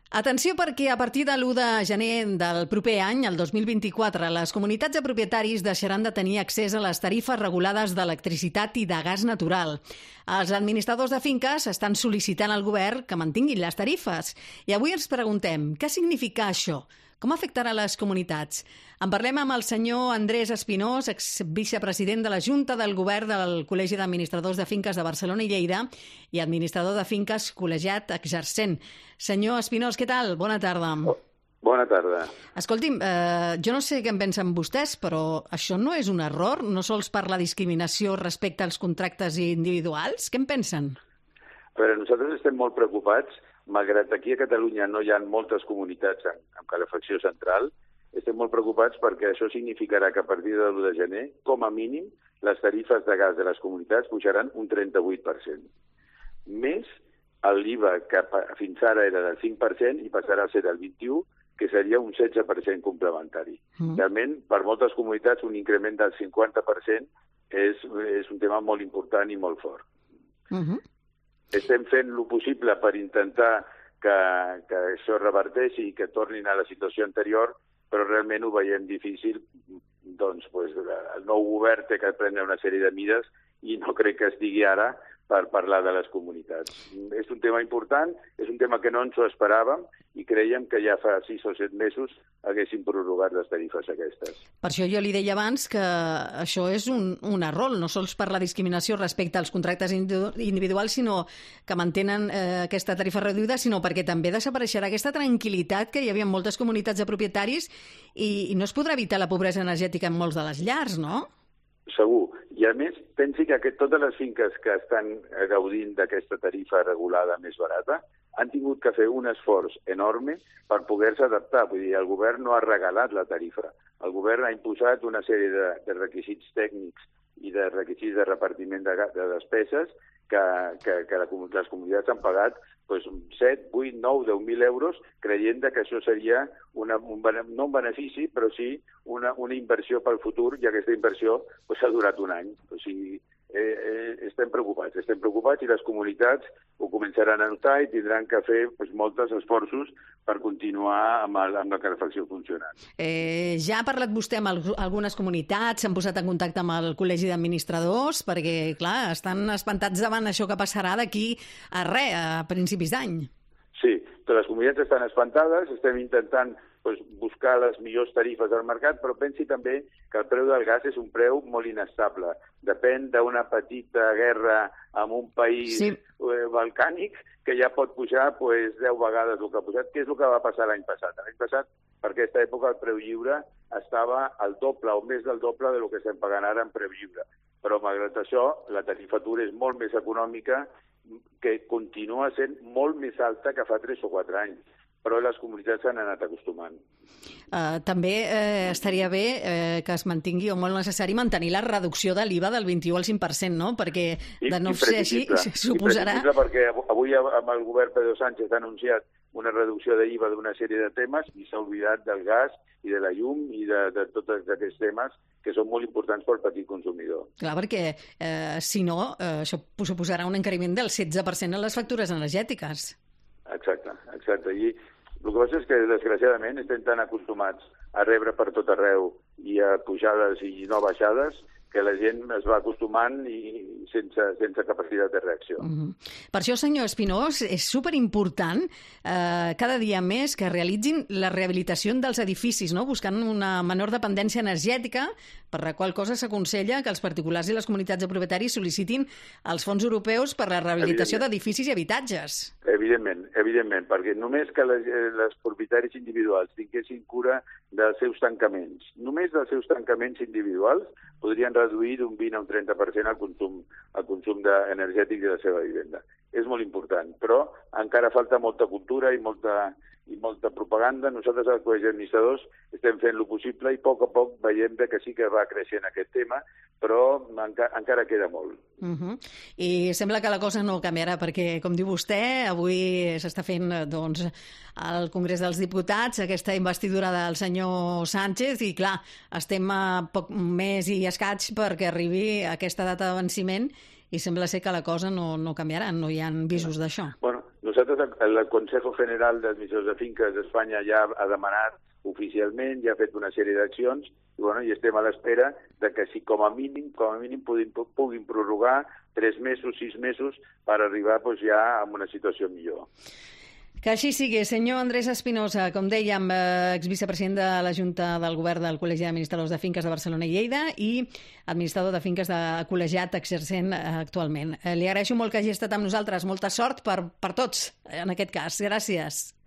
Atenció perquè a partir de l'1 de gener del proper any, el 2024, les comunitats de propietaris deixaran de tenir accés a les tarifes regulades d'electricitat i de gas natural. Els administradors de finques estan sol·licitant al govern que mantinguin les tarifes. I avui ens preguntem, què significa això? Com afectarà les comunitats? En parlem amb el senyor Andrés Espinós, exvicepresident de la Junta del Govern del Col·legi d'Administradors de Finques de Barcelona i Lleida i administrador de finques col·legiat exercent. Senyor Espinós, què tal? Bona tarda. Bona tarda. Escolti'm, jo no sé què en pensen vostès, però això no és un error? No sols per la discriminació respecte als contractes individuals? Què en pensen? A veure, nosaltres estem molt preocupats. Malgrat aquí a Catalunya no hi ha moltes comunitats amb calefacció central, estem molt preocupats perquè això significarà que a partir de l'1 de gener, com a mínim, les tarifes de gas de les comunitats pujaran un 38%. Més l'IVA, que fins ara era del 5% i passarà a ser del 21%, que seria un 16% complementari. Realment, per moltes comunitats, un increment del 50% és un tema molt important i molt fort. Estem fent el possible per intentar que això reverteixi i que tornin a la situació anterior, però realment ho veiem difícil. Doncs el nou govern té que prendre una sèrie de mides i no crec que estigui ara per parlar de les comunitats. És un tema important, és un tema que no ens ho esperàvem i creiem que ja fa 6 o 7 mesos haguéssim prorrogat les tarifes aquestes. Per això jo li deia abans que això és un error, no sols per la discriminació respecte als contractes individuals, sinó que mantenen aquesta tarifa reduïda, sinó perquè també desapareixerà aquesta tranquil·litat que hi havia en moltes comunitats de propietaris i no es podrà evitar la pobresa energètica en molts de les llars, no? Segur. I a més, pensi que totes les finques que estan gaudint d'aquesta tarifa regulada més barata han tingut que fer un esforç enorme per poder-se adaptar. Vull dir, el govern no ha regalat la tarifa. El govern ha imposat una sèrie de requisits tècnics i de requisits de repartiment de despeses que les comunitats han pagat 7, 8, 9, 10.000 euros creient que això seria no un benefici, però sí una inversió pel futur, i aquesta inversió ha durat un any. O sigui, estem preocupats i les comunitats ho començaran a notar i tindran que fer molts esforços per continuar amb la calefacció funcionant. Ja ha parlat vostè amb algunes comunitats, s'han posat en contacte amb el Col·legi d'Administradors, perquè, clar, estan espantats davant això que passarà d'aquí a principis d'any. Sí, totes les comunitats estan espantades, estem intentant buscar les millors tarifes del mercat, però pensi també que el preu del gas és un preu molt inestable. Depèn d'una petita guerra en un país balcànic que ja pot pujar 10 vegades el que ha pujat. Què és el que va passar l'any passat? L'any passat, per aquesta època, el preu lliure estava al doble o més del doble del que estem pagant ara en preu lliure. Però, malgrat això, la tarifatura és molt més econòmica, que continua sent molt més alta que fa 3 o 4 anys. Però les comunitats s'han anat acostumant. També estaria bé que es mantingui, o molt necessari, mantenir la reducció de l'IVA del 21 al 5%, no? Perquè de no ser així suposarà... Imprescindible, perquè avui amb el govern Pedro Sánchez ha anunciat una reducció d'IVA d'una sèrie de temes i s'ha oblidat del gas i de la llum i de tots aquests temes que són molt importants pel petit consumidor. Clar, perquè si no, això suposarà un encariment del 16% en les factures energètiques. Exacte. I el que passa és que, desgraciadament, estem tan acostumats a rebre per tot arreu i a pujades i no baixades que la gent es va acostumant i sense capacitat de reacció. Per això, senyor Espinós, és superimportant cada dia més que realitzin la rehabilitació dels edificis, no? Buscant una menor dependència energètica, per la qual cosa s'aconsella que els particulars i les comunitats de propietaris sol·licitin els fons europeus per la rehabilitació d'edificis i habitatges. Evidentment, perquè només que les propietaris individuals tinguessin cura dels seus tancaments, només dels seus tancaments individuals, podrien reduir d'un 20 a un 30% el consum energètic de la seva vivenda. És molt important, però encara falta molta cultura i molta propaganda. Nosaltres, al Col·legi d'Administradors, estem fent el possible i a poc veiem que sí que va creixent aquest tema, però encara queda molt. I sembla que la cosa no canviarà, perquè, com diu vostè, avui s'està fent al Congrés dels Diputats aquesta investidura del senyor Sánchez i, clar, estem a poc més i escaig perquè arribi aquesta data de venciment i sembla ser que la cosa no canviarà, no hi ha visos d'això. Bueno, Nosaltres, el Consejo General d'Administradors de Finques d'Espanya ja ha demanat oficialment, ja ha fet una sèrie d'accions i estem a l'espera de que si com a mínim puguin prorrogar 3 mesos, 6 mesos per arribar ja a una situació millor. Que així sigui. Senyor Andrés Espinosa, com dèiem, exvicepresident de la Junta del Govern del Col·legi d'Administradors de Finques de Barcelona i Lleida i administrador de finques de col·legiat exercent actualment. Li agraeixo molt que hagi estat amb nosaltres. Molta sort per tots, en aquest cas. Gràcies.